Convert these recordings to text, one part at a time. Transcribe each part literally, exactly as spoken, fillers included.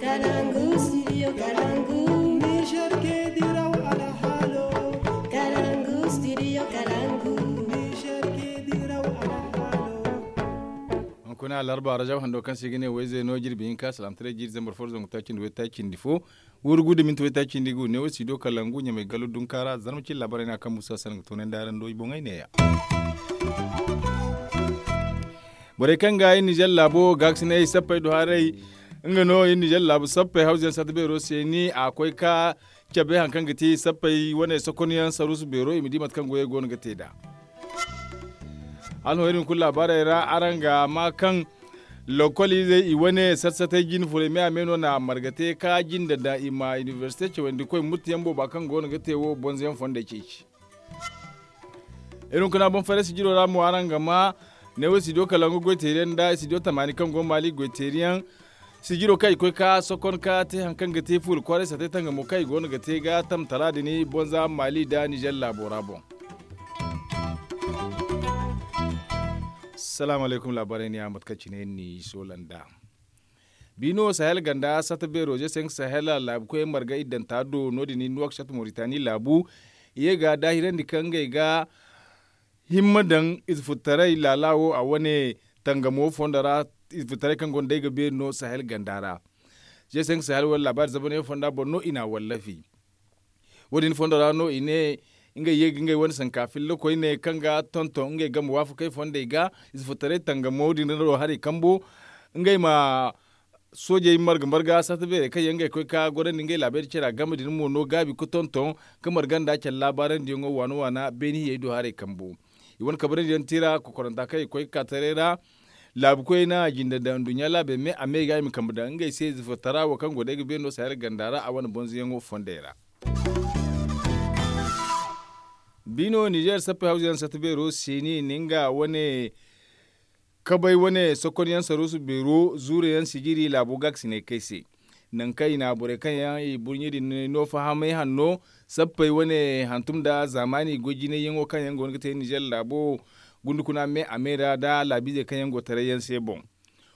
Kalangu studio kalangu. Niger ke diraw alhalo. Kalangu studio kalangu. Niger ke diraw alhalo. Hunkuna alarba rajab hando kaŋ se i ga ne wayze no jirbi hinka salamtaray jiiri zambar fo zangu taaci nda way taaci nda fo. Wurgu da minti way taaci nda i ga ne wo studio kalangu ɲamay gallo dunka ra zarma cin laabaray no a kaŋ musa sanaŋ ga toonandi araŋ do i boŋey neeya. Borey kaŋ ga iri nizer laabo gaakasinay sappey do haray. Nga no iri nizer laabu sappey hawzuyaŋ sata beero se ni a koy ka cabe hari kaŋ ga ti sappey wane sokonyaŋ saruusu beero i ma di mate kaŋ goyey go no ga te nd'a. Hala no iri hunkuna laabaarey ra araŋ ga ma kaŋ lokol izey i wane sat-satey jine furey me a me no na marga te ka jinde daŋ i ma inibersite cawandi koy murtayaŋ booba kaŋ go no ga te wo bonzoyaŋ fondey ceeci. Iri hunkuna boŋ fayra sijiro ra mo araŋ ga ma ne wo studio kalangu goy teeriyaŋ nda studio tamaani kaŋ go maali goy teeriyaŋ. Sijiro kaŋ i koy ka sokon ka te hari kaŋ ga te fuula kwaaray satey tangamo kaŋ i go no ga te ga tamtara din bonza maali nda nizer laabo ra boŋ. Salaamu alaykum laabaarey ni a mate kaŋ cine ni soola nd'a. Biino sahel ganda sata beero ze senk sahel laabu koy marga iddanta do no- din ni nuwak shat moritani laabu. I ye ga daahirandi kaŋ ngey ga himma daŋ ize futtaray laala wo a wane tangamo fondo ra. Ize futtaray kaŋ gonda ay ga beeri no sahel ganda ra. Ze senk sahel wala laabaari zabaney fonda boŋ no i n'a wallafi. Wo- din fondo ra no i ne ngey ye ga ngey wane sanka filla koyne kaŋ ga tonton ngey game waafakey fondey ga. Ize futtaray tangamo din ra no haray kambo ngey ma soojey marga marga sata beerey kaŋ yaŋ ngey koy ka gorandi ngey laabey da care a game din mo no gaabi ga tonton ka marga nda care laabaarandiyaŋo waana waana beeni hiyey do haray kambo. I wane kabrandi yaŋ tira kokoranta kaŋ i koy ga ka taray ra. Laabu koyey na a jinde daŋ nduɲɲa laabey me a me ga i ma kambe daŋ ngey se zifirtara wo kaŋ go day ga beeno sahel ganda ra a wane bonzoyaŋo fondey ra. Biino nizer sappey hawzuyaŋ sata beero seeni ni nga wane kabay wane sokonyaŋ saruusu beero zuurayaŋ sijiri laabo gaakasinay kay se. Nangu kaŋ i na borey kaŋ yaŋ i burɲe din no fahamay hanno sappey wane hantum nda zaamaani goy jinayyaŋo kaŋ yaŋ go no ga te nizer laabo gundukuna me a me ra nda laabiizey kaŋ yaŋ go tarayyaŋ se boŋ.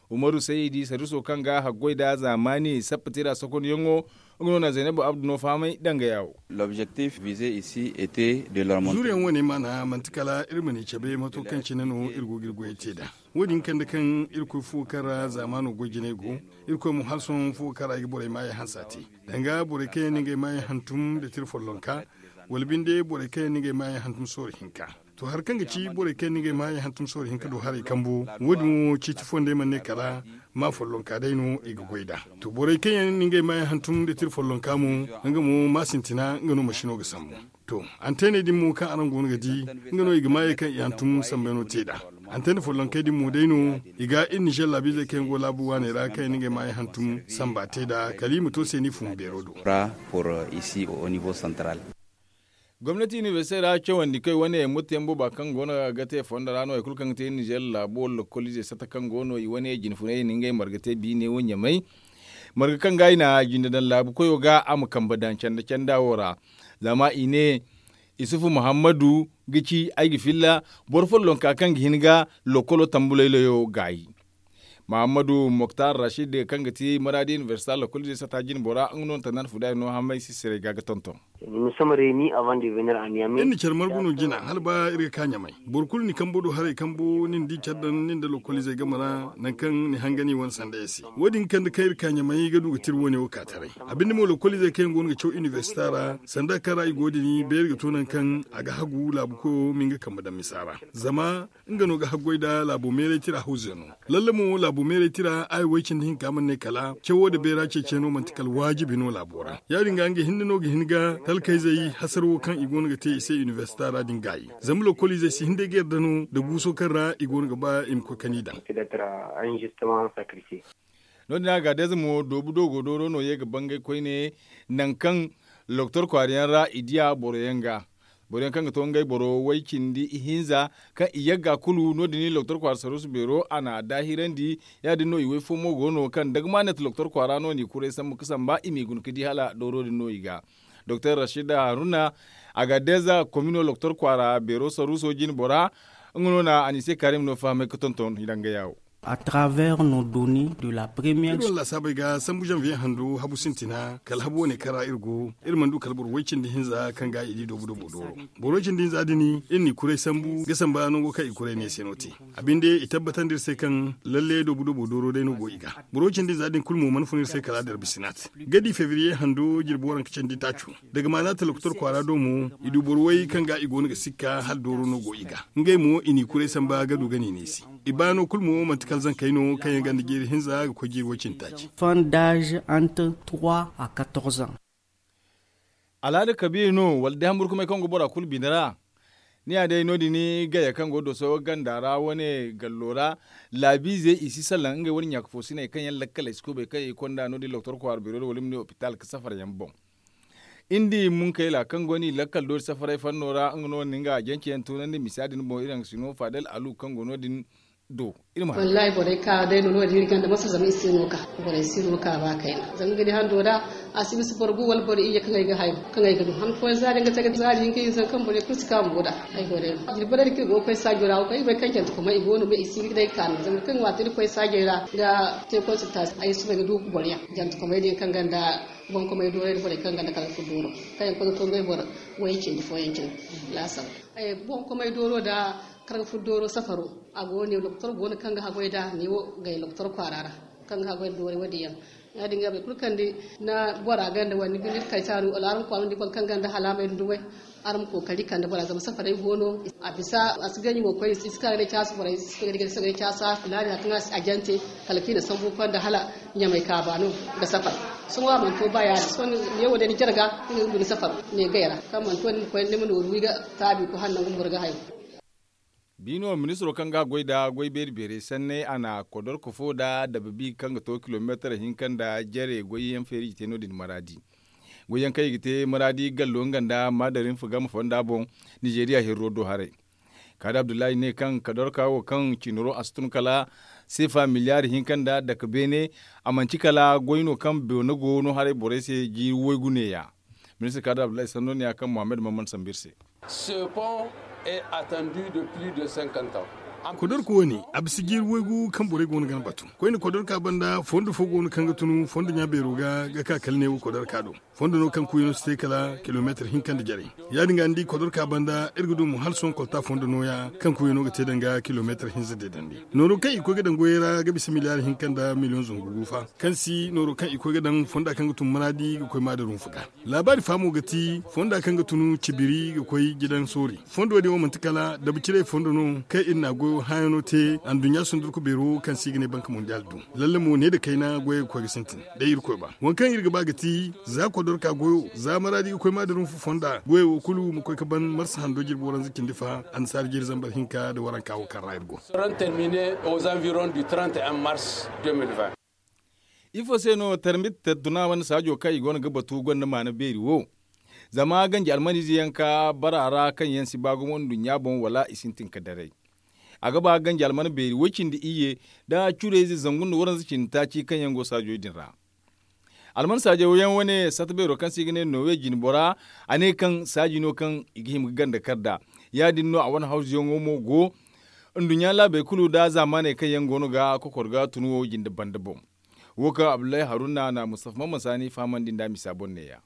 Umaru sayidi saruuso kaŋ ga haggoy nda zaamaani sappa tira sokonyaŋo nga no na zaynabu abdu no fahamay danga yaawo. Zuuriyaŋ wane maana manti kala iri ma ni cabe mato kaŋ cine no iri go ga iri goyey te nd'a. Wo- din kande kaŋ irkoy fuwo kaŋ ra zaamaano goy jinay go. Irkoy mo hala sohõ fuwo kaŋ ra i ga borey maayey hanse a te. Danga borey kaŋ yaŋ no ngey maayey hantum nda tira follonka wala binde borey kaŋ yaŋ no ngey maayey hantum sooro hinka. To hari kaŋ ga ci borey kaŋ yaŋ no ngey maayey hantum sooro hinka do haray kambo. Wo- din wo ciiti fondey mana ne kala maa follonka day no i ga goy nd'a. To borey kaŋ yaŋ no ngey maayey hantum nda tira follonka mo nga mo maa sintina nga no masino ga sambu. To anteeney din mo kaŋ araŋ go no ga di nga no i ga maayey kaŋ i hantum sambayno te nd'a. Anteene follonkey din mo day no i ga iri nizer laabiizey kaŋ yaŋ go laabu waaney ra kaŋ yaŋ no ngey maayey hantum samba te nd'a kala i ma to se ni fun beero do. Gomnati inibersite ra cawandi koy wane murtayaŋ booba kaŋ go no ga te fondo ra no hari kulu kaŋ ga te nizer laabo wala lokoliizey sata kaŋ go no i wane jine funay i na ngey marga te biine wo ɲamay. Marga kaŋ ga i na jinde daŋ laabu koyo ga a ma kambe daŋ canda canda wo ra. Zama i ne isufu muhammadu ga ci ay ga filla boro follonka kaŋ ga hin ga lokolo tambulaylayo gaayi. Muhammadu moktar rashid kaŋ ga ti maraadi inibersita lokoliizey sata jine bora nga no na tandaan fudaari no hamay si siray ga ga tonton. Iri na care margu no jina hala ba iri ga ka ɲamay. Boro kulu ni kambo do haray kambo ni na di care daŋ ni nda lokoliizey game ra nangu kaŋ ni hangani wane sanda ya se. Wo- din kande kaŋ iri ka ɲamay ga du ga tira wane wo ka taray. A binde mo lokoliizey kaŋ yaŋ go no ga caw inibersita ra sanda kaŋ ra i go din beeri ga to nangu kaŋ a ga hagu laabu koyo ma nga kambe daŋ misa ra. Zama nga no ga haggoy nda laabo meeray tira hawzuyaŋo. Lalle mo laabo meeray tira aya way cindi hinka mana ne kala cawo nda beera ceeciyaŋo manti kala waajibi no laabo ra. Ya- din ga nga hinne no ga hin ga talkayzey hasarawo kaŋ i go no ga te i se inibersita ra din gaayi. Zama lokoliizey si hin day ga yarda no nda guuso kaŋ ra i go no ga ba i ma koy kani daŋ. No- din a ga day za mo doobu do go dooro no ye ga bangay koyne nangu kaŋ loktor kwaara yaŋ ra i diya boro yaŋ ga. Boro yaŋ kaŋ ga to ngey boro way cindi ihinza kaŋ i yagga kulu no- din loktor kwaara saruusu beero a na a daahirandi. Ya- din no i way fo mo go no kaŋ dagamanet loktor kwaara no n'i kuray sambu ga samba i m'i guna ga di hala dooro din no i ga. Doktor rashid haruna a ga day za komino loktor kwaara beero saruuso jine bora. Nga no na a n'i se kaarim no fahamay ga tonton i daŋ ga yaawo. À travers nos données de la première. Iri wane laasaabey ga sambu janvier hando habu sintina kala habu wane kaŋ ra iri go, iri mana du kala boro way cindi hinza kaŋ ga i di doobu doobu dooro. Boro way cindi hinza din iri n'i kuray sambu ga samba nango kaŋ i kuray ne se no te. A binde i tabbatandi iri se kaŋ lalle doobu doobu dooro day no go i ga. Boro way cindi hinza din kulu mo mana fun iri se kala darbi sinat ga di febriye hando jirbi waranka candi taaco. Daga maana talaktor kwaara do mo, i du boro way kaŋ ga i go no ga sikka hala dooro no go i ga. Ngey mo i n'i kuray samba ga du ga n'i neesi. I baano kulu mo manti kala zankey no kaŋ yaŋ ganda jeeri hinza ga koy jeeri way cindi taaci. Enfants d'âge entre trois à quatorze ans. Alhaada kabiila no wala day hamburkumey kaŋ go bora kulu bine ra? Ni ya day no- din gaya kaŋ go doso ganda ra wane gallo ra. Laabiizey i si salaŋ ngey wane ɲaaka foosiney kaŋ yaŋ lakkaley si kubay kaŋ i konda no- din loktor kwaara beero da wala i ma ne opitaal ga safara yaŋ boŋ. Iri di munkayla kaŋ go no i lakkal doori safaray fanno ra nga no ni nga janceyaŋ tunandi misa din boŋ iri haŋ ga si no faadal alu kaŋ go no- din do. Iri ma haŋ. Wallahi borey ka day no no- din iri ganda masa zama iri si no ka borey si no ka ba kayna zama nga di hando da. A si bisa boro gu wala boro iyye kaŋ ay ga hayo kaŋ ay ga du han fooyaŋ zaari nga te ga zaari hinka hinza kaŋ borey kulu si ka mo da. Ay borey jirbi borey da kaŋ i go ga koy saajo ra wo kaŋ i bay kaŋ jante kuma i go no me i si ga day ka no zama kaŋ waati iri koy saajey ra ga te consultation ay si bay ga du boro yaŋ jante kumey din kaŋ ganda boŋ kumey doorey da borey kaŋ ganda kala ga furo dooro kaŋ yaŋ koy ga to ngey boro way cindi fooyaŋ cindi laasaro. Boŋ komay dooro da karga furo dooro safaro. A go ne doktor go no kaŋ ga haggoy da ne wo gay doktor kwaara ra kaŋ ga haggoy da doori wo- din yaŋ. Ya- din ga bay kulu kaŋ di na bora ganda wani ga ni kay taaru wala araŋ kwaara di boro kaŋ ganda halaamay da dumay. Araŋ ma kookari kande bora zama safaray go no. A bisa a si ganji mo koy i si ka ga day caasu borey si ka ga day caasu a filaani hari kaŋ a jante kala kaŋ i na sambu konda hala ɲamay kaaba no ga safar. Sohõ a mana to ba ya- din sohõ ne wo day ni jarga ni ga guna safar ne gay ra kaŋ mana to ni ma koy ni ma nooru wi ga taabi ga koy hala nangu boro ga hayo. Biino ministiro kaŋ ga goy nda goy beeri beerey sanney a na kodorko fo nda dababi kaŋ ga to kilomeetar hinka nda jare goyyaŋ feeri i ga te no- din maraadi. Goyyaŋ kaŋ i ga te maraadi gallo nga nda maadarinfa game fonda boŋ nizeeriya hirro do haray. Kaadi abdullahi ne kaŋ kodorka wo kaŋ cinaro a si tun kala seefa miliyaari hinka nda dake beene. A manti kala goy no kaŋ beene go no haray borey se jiiri waygu neeya. Ministir kaadi abdullahi sanno neeya kaŋ muhammad mamman sambu iri se. Kodorko wo- ne a bisa jiiri waygu kaŋ borey go no ga ni batu. Koyne kodorka banda fondo fo go no kaŋ ga tun fondo ɲa beero ga ga ka kala ne wo kodorka do. Fondo no kaŋ kuuyano si te kala kilomeetar hinka nda jarey. Ya- din ga ni di kodorka banda iri ga du mo hala sohõ kolta fondo nooya kaŋ kuuyano ga te danga kilomeetar hinza deedandi. Nooro kaŋ i koy ga daŋ goyey ra ga bisa miliyaari hinka nda miliyoŋ zangu gu fa kaŋ si nooro kaŋ i koy ga daŋ fonda kaŋ ga tun maraadi ga koy maadarinfa ga. Laabaari fa mo ga ti fonda kaŋ ga tun cibiri ga koy jidaŋ soori. Fondo din wo manti kala dabacirey fondo no kaŋ iri na a goyo hãayano te anduɲɲa sundurku beero kaŋ se i ga ne banka mondiyaal du. Lalle mo ne nda kayna goyey ga koy ga sintin day irkoy ba waŋ kaŋ iri ga ba ga ti za kodorka goyo za maraadi ga koy maadarinfa fonda goyey wo kulu ma koy ga ban marsa hando jirbi waranza cindi fa annasaara jiiri zambar hinka nda waranka wo kaŋ ra iri go. Ifo se no tarmit tattuna wane saajo kaŋ i go no ga batu gonda maana beeri wo? Zama ganji almaniize yaŋ ka bara a ra kaŋ yaŋ si ba gumo nduɲɲa boŋ wala i sintin ka daray. A ga ba ganji almana beeri woy cindi iyye nda curayze zangu nda waranza cindi taaci kaŋ yaŋ go saajo din ra. Alman saajo yaŋ wane sata beero kaŋ se i ga ne nowe jine bora a ne kaŋ saaji no kaŋ i ga hima ga ganda kar nd'a. Ya- din no a wane hawzuyaŋo mo go nduɲɲa laabey kulu nda zaamaaney kaŋ yaŋ go no ga kokor ga tun wo jinde banda boŋ. Wo kaŋ abdullahi haruna na mustafa mamman saani fahamandi nd'a misa boŋ neeya.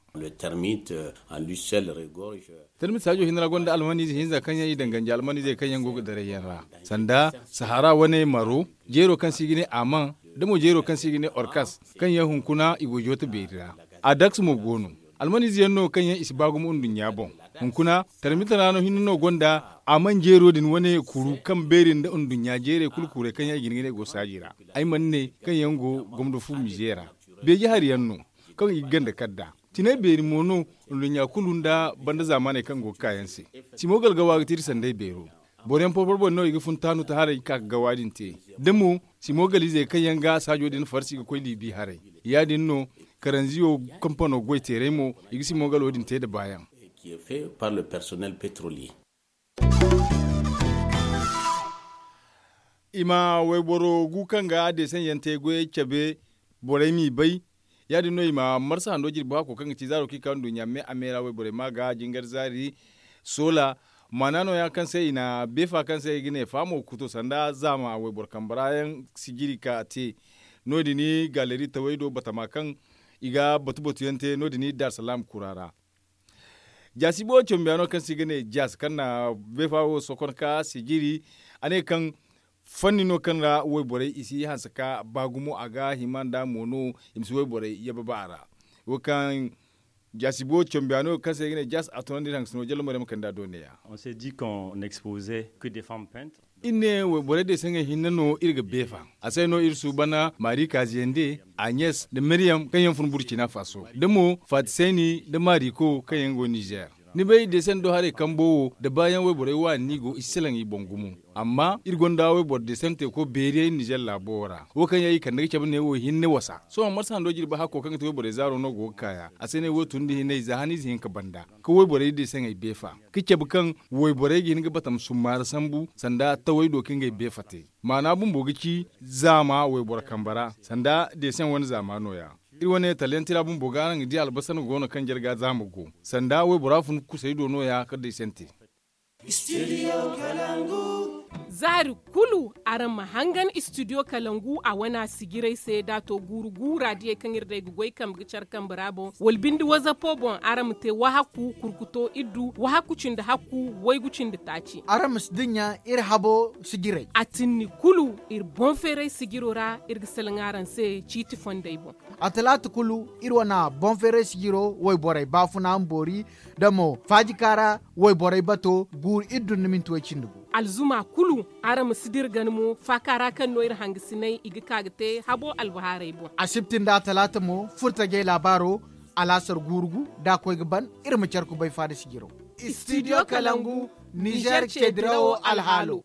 Termit saajo hinne ra gonda almaniize hinza kaŋ yaŋ i daŋ ganji almaniizey kaŋ yaŋ go ga daray yaŋ ra, sanda sahara wane maro, jeero kaŋ se i ga ne aman, da mo jeero kaŋ se i ga ne orkas, kaŋ yaŋ hunkuna i go joote beeri ra. Adaks mo go no. Almaniize yaŋ no kaŋ yaŋ i si ba gumo nduɲɲa boŋ. Hunkuna tarmita ra no hinne no gonda aman jeero din wane kuru kaŋ beeri nda nduɲɲa jeerey kulu kuray kaŋ yaŋ i ga hin ga ne go saaji ra. Ay mana ne kaŋ yaŋ go gomdo fu mize ra. Beeji hari yaŋ no kaŋ i ga ganda kar nd'a. Tinay beeri mo no nduɲɲa kulu nda banda zaamaaney kaŋ go ga ka yaŋ se. Simo galgawa ga ti iri sanday beero. Boro yaŋ porpor boŋ no i ga fun taanu ta haray ga ka ga gawa din te. Da mo simo galiizey kaŋ yaŋ ga saajo din farsi ga koy liibi haray. Ya- din no karanziyo kampano goy teeray mo i ga simo galo din te nda baayaŋ. I ma wayboro gu kaŋ ga deesaŋ yaŋ te goyey cabe borey m'i bay. Ya- din no i ma marsa hando jirbi hako kaŋ ga ci zaaro kaŋ i ka nduɲɲa me a me ra wayborey ma ga jingar zaari soola. Maana nooya kaŋ se i na beefa kaŋ se i ga ne faamo kuto sanda zaama wayboro kambe ra yaŋ sijiri ka te. No- din gaaleri tawey do batama kaŋ i ga batu batu yaŋ te no- din daarsalaam kura ra. Jaasi boobo cambiyaano kaŋ se i ga ne jaasi kaŋ na beefa wo sokon ka sijiri. A ne kaŋ fanni no kaŋ ra wayborey i si hanse ka ba gumo a ga hima nda mo no i ma si wayborey yabe ba a ra. Wo kaŋ jaasi boobo cambiyaano kaŋ se i ga ne jaasi a tunandi iri hangasino jalla mo iri ma kande a do neeya. Iri ne wayborey deesaŋey hinne no iri ga beefa. A se no iri suuban maari kaaziyande, aɲes nda miriyam kaŋ yaŋ fun burcina faaso da mo faatisayni nda maariko kaŋ yaŋ go nizeer. Ni bay deesan do haray kambo wo da baayaŋ wayborey waani no i go i si salaŋ i boŋ gumo. Amma iri gonda wayboro deesan teeko beeriyaŋ nizeer laabo wo ra wo kaŋ yaŋ i kande ga cabe ne wo hinne wasa sohõ marsa hando jirbi hakko kaŋ ga te wayborey zaaro no go ga kaaya a se ne wo tun nda hinay za haniize hinka banda ka wayborey deesaŋey beefa ka cabe kaŋ wayborey ga hin ga batam summaara sambu sanda tawey do ka ngey beefa te. Maana bumbo ga ci zaama wayboro kambe ra sanda deesaŋ wane zaama nooya. Iri wane talyanti ra bumbo ga araŋ ga di albasar go no kaŋ jarga zaama go sanda waybora fun kusay do nooya ka deesante. Zaari kulu araŋ ma hangan istidiyo kalangu a wana sijiray se da a to guuru guura diyey kaŋ iri day ga goy kambe ga care kambe ra boŋ wala binde wazapo boŋ araŋ ma te wahakku kurkuto iddu wahakku cindi hakku waygu cindi taaci. Araŋ ma si dinya iri habo sijiray a tinni kulu iri boŋ feeray sijiro ra iri ga salaŋ araŋ se ciiti fondey boŋ. A talaata kulu iri wana boŋ feeray sijiro wayborey baafuna ma boori da mo faajika ra wayborey bato guuru iddu nda minti way cindi gu. Alzuma kulu araŋ ma si dira gana mo faaka ra kaŋ no iri hangasiney i ga ka ga te habo albahaarey boŋ. Asibti nda talaata mo furtajey laabaaro alaasar guuru gu da a koy ga ban iri ma care kubay faada sijiro. Istidiyo kalangu nizeer ceedirawo alhaalo.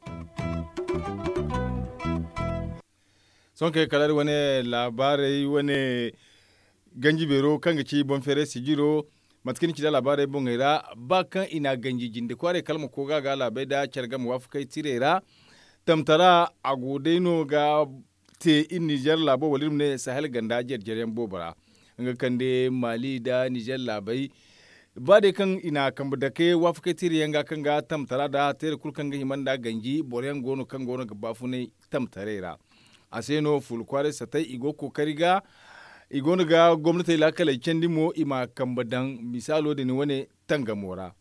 Sohõ kay kala iri wane laabaarey wane ganji beero kaŋ ga ci boŋ feeray sijiro. Mate kaŋ ni ci nda laabaarey boŋey ra ba kaŋ i na ganji jinde kwaaray kala ma koy ga a ga laabey nda care game waafakey tirey ra. Tamtara a go day no ga te iri nizeer laabo wala iri ma ne sahel ganda jare jare yaŋ boobo ra. Nga kande maali nda nizeer laabey ba day kaŋ i na kambe dake waafakey tirey yaŋ ga kaŋ ga tamtara nda teere kulu kaŋ ga hima nda ganji boro yaŋ go no kaŋ go no ga baafunay tamtaray ra. A se no fuula kwaaray satay i go ga kookari ga i go no ga gomnatey laakaley candi mo i ma kambe daŋ misaalo din wane tangamo ra.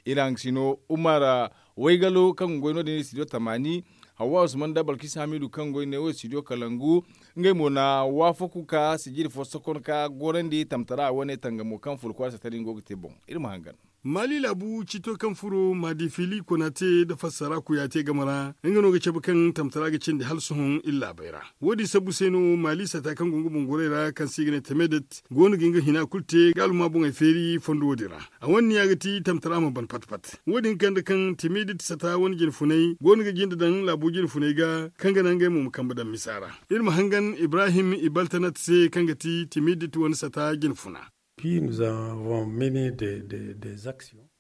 Iri haŋgasino umar waygalo kaŋ ga goy no- din istidiyo tamaani hawwa usman nda balkis hamiidu kaŋ ga goy ne wo istidiyo kalangu. Ngey mo na waafaku ka sijiri fo sokon ka gorandi tamtara wane tangamo kaŋ fuula kwaaray satay din go ga te boŋ. Iri ma hangan. Maali laabu ciito kaŋ furo maadifili konaate nda fassara kuyaate game ra nga no ga cabe kaŋ tamtara ga cindi hala sohõ iri laabey ra. Wo- din sabbu se no maali sata kaŋ go nga boŋ gorey ra kaŋ se i ga ne temedet go no ga nga hina kulu te ga alhuma boŋey feeri fondo wo- din ra. A wane niya ga ti tamtara ma ban pat pat. Wo- din kande kaŋ temedet sata wane jine funay go no ga jinde daŋ laabo jine funay ga kaŋ ga naŋ ngey mo ma kambe daŋ misa ra. Iri ma hangan ibrahim ibaltanat se kaŋ ga ti temedet wane sata jine funa.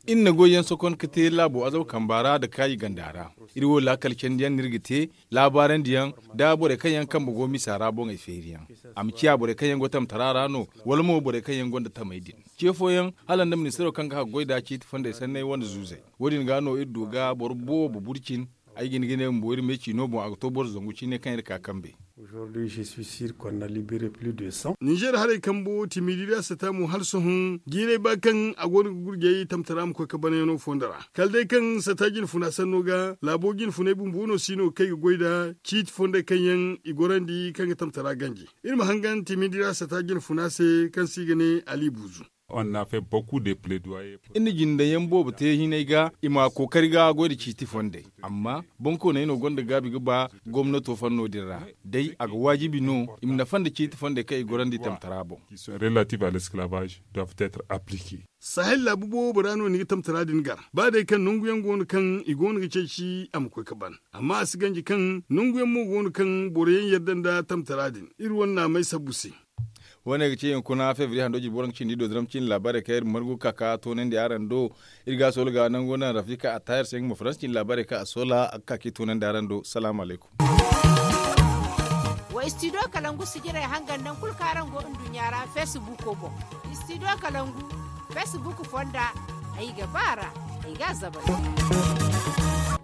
Iri na goy yaŋ sokon ka te laabo azaw kamba ra nda kaayi ganda ra. Iri wo laakal candi yaŋ no iri ga te laabaarandi yaŋ nda borey kaŋ yaŋ kambe go misa ra boŋey feeri yaŋ. A ma ciya borey kaŋ yaŋ go tamtara ra no wala mo borey kaŋ yaŋ gonda tamey din. Ce fooyaŋ hala nda ministiro kaŋ ga haggoy nda ciiti fondey sanney wane zuuzey. Wo- din ga no iri du ga boro boobo burcin. Ay ga hin ga ne bumbo iri me ciino boŋ a ga to boro zangu ciine kaŋ iri ka kambe. Nizeer haray kambo timidiri a sata mo hala sohõ jiiray ba kaŋ a go no ga gurjay tamtara ma koy ka banayaŋo fondo ra kala day kaŋ sata jine funa sanno ga laabo jine funay bumbo no si no ga kay ga goy nda ciiti fondey kaŋ yaŋ i gorandi kaŋ ga tamtara ganji. Iri ma hangan timidiri a sata jine funa se kaŋ se i ga ne ali buuzu. Iri na jindayaŋ boobo te hinay ga i ma kookari ga goy nda ciiti fondey. Amma bonkooney no gonda gaabi ga ba gomnato fanno din ra day a ga waajibi no i ma nafa nda ciiti fondey kaŋ i gorandi tamtara boŋ. Sahel laabu boobo ra no ni ga tamtara din gar ba day kaŋ nangu yaŋ go no kaŋ i go no ga ceeci a ma koy ga ban. Amma a si ganji kaŋ nangu yaŋ mo go no kaŋ boro yaŋ yadda nda tamtara din iri wane naamay sabbu se. Wo- ne ga ci hunkuna febriye hando jirbi waranka cindi do diraŋ cindi laabaarey kaŋ iri margu ga ka ga toonandi araŋ do. Iri ga a soola ga nangu naŋ rafika attahir se nga ma faransa cindi laabaarey kaŋ a soola a ga ka ga i toonandi araŋ do salaamu alaykum. Wa istidiyo kalangu sijirey hangan nangu kulu kaŋ araŋ go nduɲɲa ra feesibuuko boŋ. Istidiyo kalangu feesibuuko fonda ay ga ba a ra. Ay ga a zabar.